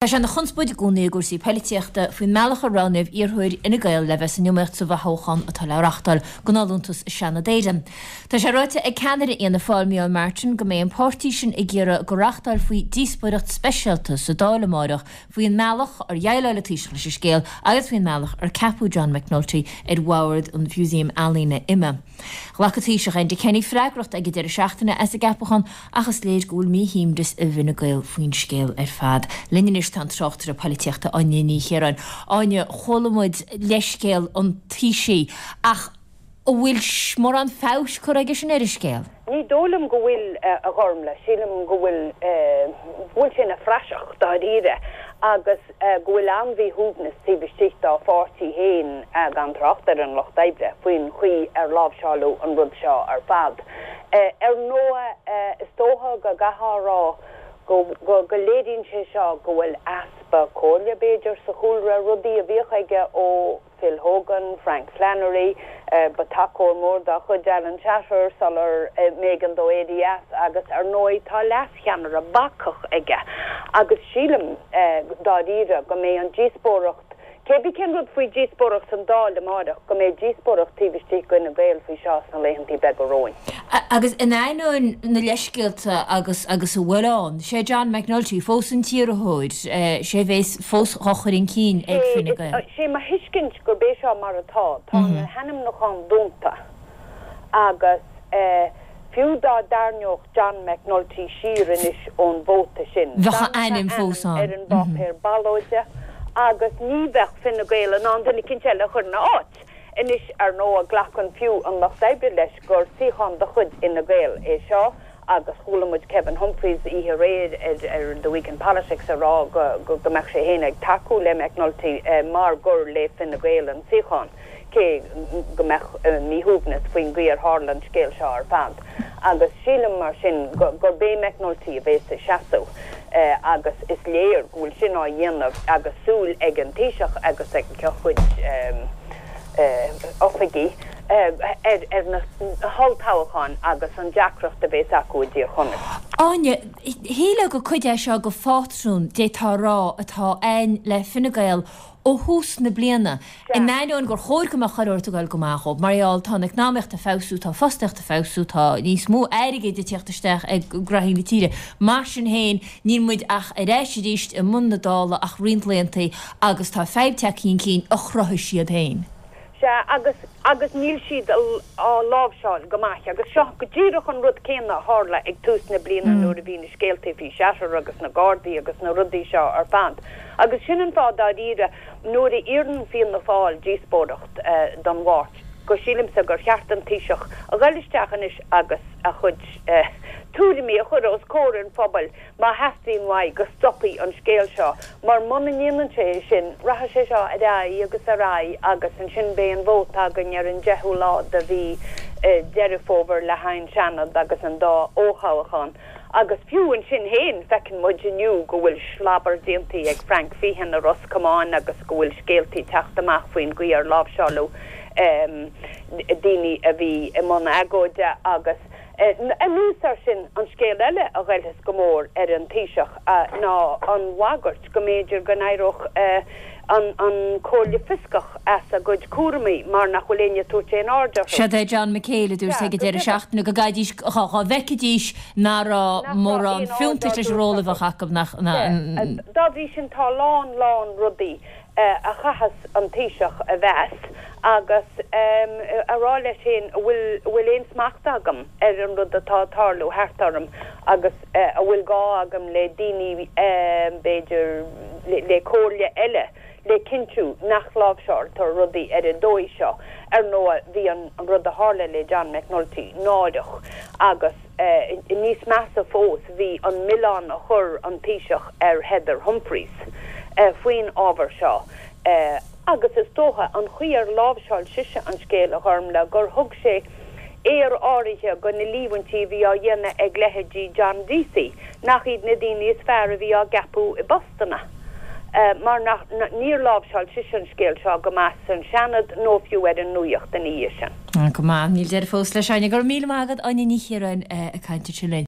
Tá sé ina chonspóid i gcónaí i gcúrsaí poilitíochta faoin mbealach a roghnaíodh iarrthóir Fhine Gael le bheith san iomaíocht sa bhfothoghchán atá le reáchtáil don fholúntas i Seanad Éireann. Tá sé ráite ag ceannaire Fhianna Fáil, Micheál Martin, go mbeidh an páirtí sin ag iarraidh go reáchtálfaí díospóireacht speisialta sa Dáil amáireach faoin mbealach ar dhéileáil an Taoiseach leis an scéal agus faoin mbealach ar ceapadh John McNulty ar bhord an Mhúsaeim Ealaíne IMMA. Ghlac an Taoiseach Enda Kenny freagracht ag an deireadh seachtaine as an gceapachán ach is léir go bhfuil míshuaimhneas i bhFine Gael faoin scéal ar fad. Linn anois tá an tráchtaire poilitíochta Áine Ní Chiaráin. Áine, chuala muid leithscéal an Taoisigh ach an bhfuil mórán feabhais curtha aige sin ar an scéal? Ní dóigh liom go bhfuil, a Ghormlaith. Sílim go bhfuil, go bhfuil sé ina phraiseach, dáiríre, agus go bhfuil an-mhíshuaimhneas taobh istigh dá pháirtí féin, gan trácht ar an Lucht Oibre, faoin chaoi ar láimhseáladh an rud seo ar fad. Ar ndóigh, is dócha go gcaithfeá a rá go go léiríonn sé seo go bhfuil easpa comhairle, b'fhéidir, sa chúlra, rudaí a bhíodh aige ó. Phil Hogan, Frank Flannery, ba tacóir mór dá chuid Alan Shatter sular mb'éigean dó éirí as agus ar ndóigh tá leascheannaire bacach aige agus sílim dáiríre go mbeidh an díospóireacht, cébí cén rud faoi díospóireacht san Dáil amáireach, go mbeidh díospóireacht taobh istigh d'Fhine Gael faoi seo sna laethantaí beaga romhainn. Agus in ainneoin na leithscéalta agus agus a bhfuil ann, sé John McNulty fós an t-iarrthóir, sé a bhéas fós dhá chur chun cinn ag Fine Gael. Sé mo thuiscint gurb é seo mar atá, tá na hainmniúcháin dúnta agus fiú dá dtarraingeodh John McNulty siar anois ón vóta sin, Bheadh a ainm fós ann. ar an bpáipéar ballóide agus ní bheadh Fine Gael in ann duine eicínt eile a chur ina áit. Anois, ar ndóigh, glacann fiú an Lucht Oibre leis gur suíochán de chuid Fhine Gael é seo agus chuala muid Kevin Humphreys oíche aréir ar The Week in Politics ag rá go mbeadh sé féin ag tacú le McNulty mar gur le Fine Gael an suíochán, cé go mbeadh míshuaimhneas faoin gcaoi ar tharla an scéal seo ar fad. Agus sílim mar sin gurb é McNulty a bhéas ag seasamh agus is léir go bhfuil sin á dhéanamh agus súil ag an Taoiseach agus ag a chuid oifigigh ar na holltoghcháin agus an deacracht a bhéas acu i dTír Chonaill. Áine, shílfeá gur cuid é seo de phátrún, d'fhéadfá a rá, atá ann le Fine Gael ó thús na bliana, in ainneoin gur chóir go mbeadh chuile shórt ag dul go maith dhóibh, mar gheall, tá an eacnamaíocht ag feabhsú, tá fostaíocht ag feabhsú, tá níos mó airgid ag tíocht isteach ag graithí na tíre. Mar sin féin, níl muid ach ar ais arís i mbun na Dála ach roinnt laethanta agus tá fadhb tagtha chun cinn a chruthaigh siad féin. Sea, agus, agus níl siad á láimhseáil go maith. Agus seo go díreach an rud céanna a tharla ag tús na bliana nuair a bhí na scéaltaí faoi Shatter agus na Gardaí agus na rudaí seo ar fad. Agus sin an fáth dáiríre, nuair a iarrann Fianna Fáil díospóireacht don Mháirt, go sílimse gur cheart don Taoiseach a ghoil isteach anois agus a chuid tuairimí a chur os comhair an phobail má theastaíonn uaidh go stopfaí an scéal seo, mar muna ndéanann sé é sin, rachaidh sé seo ar aghaidh agus ar aghaidh agus ansin beidh an vóta againn ar an deichiú lá de mhí Deireadh Fómhair le haghaidh an Seanad agus an dá fhothoghchán. Agus fiú ansin féin, feiceann muid inniu go bhfuil slabar déanta ag Frank Feighan i Ros Comáin agus go bhfuil scéaltaí ag teacht amach faoin gcaoi ar láimhseáladh daoine a bhí i mbun agóide agus Anuas air sin, an scéal eile a ghoillfeas go mór ar an Taoiseach ná an bhagairt go mb'fhéidir go n-éireodh an Chomhairle Fioscach as a gcuid cúramaí mar nach bhfuil éinne ag tabhairt aon aird orthu. Seod é John McHale a dúirt ag an deireadh seachtaine go gcaithfidís, dhá bhfeicfidís nach raibh mórán fiúntais leis an ról a bheadh acu, nach. Dá bhrí sin tá a lán lán rudaí a chaithfeas an Taoiseach a mheas agus a rá leis féin an bhfuil, an bhfuil aon smacht agam ar an rud atá ag tarlú thart orm agus an bhfuil gá agam le daoine, b'fhéidir, le comhairle eile le cinntiú nach láimhseáiltear rudaí ar an dóigh seo. Ar ndóigh, bhí an rud a tharla le John McNulty náireach agus. Níos measa fós, bhí an milleán a chuir an Taoiseach ar Heather Humphreys faoin ábhar seo agus is dócha an chaoi ar láimhseáil sise an scéal, a Ghormlaith, gur thug sé aor áirithe do na líomhaintí a bhí á dhéanamh ag leithéidí John Deasy, nach iad na daoine is fearr a bhí á gceapadh i bpostanna. Mar nach, níor láimhseáil sise an scéal seo go maith san Seanad nó fiú ar an nuaíocht ina dhiaidh sin. Go maith. Níl deireadh fós leis, Áine. Go raibh míle maith agat, Áine Ní Chiaráin, ag caint ansin linn.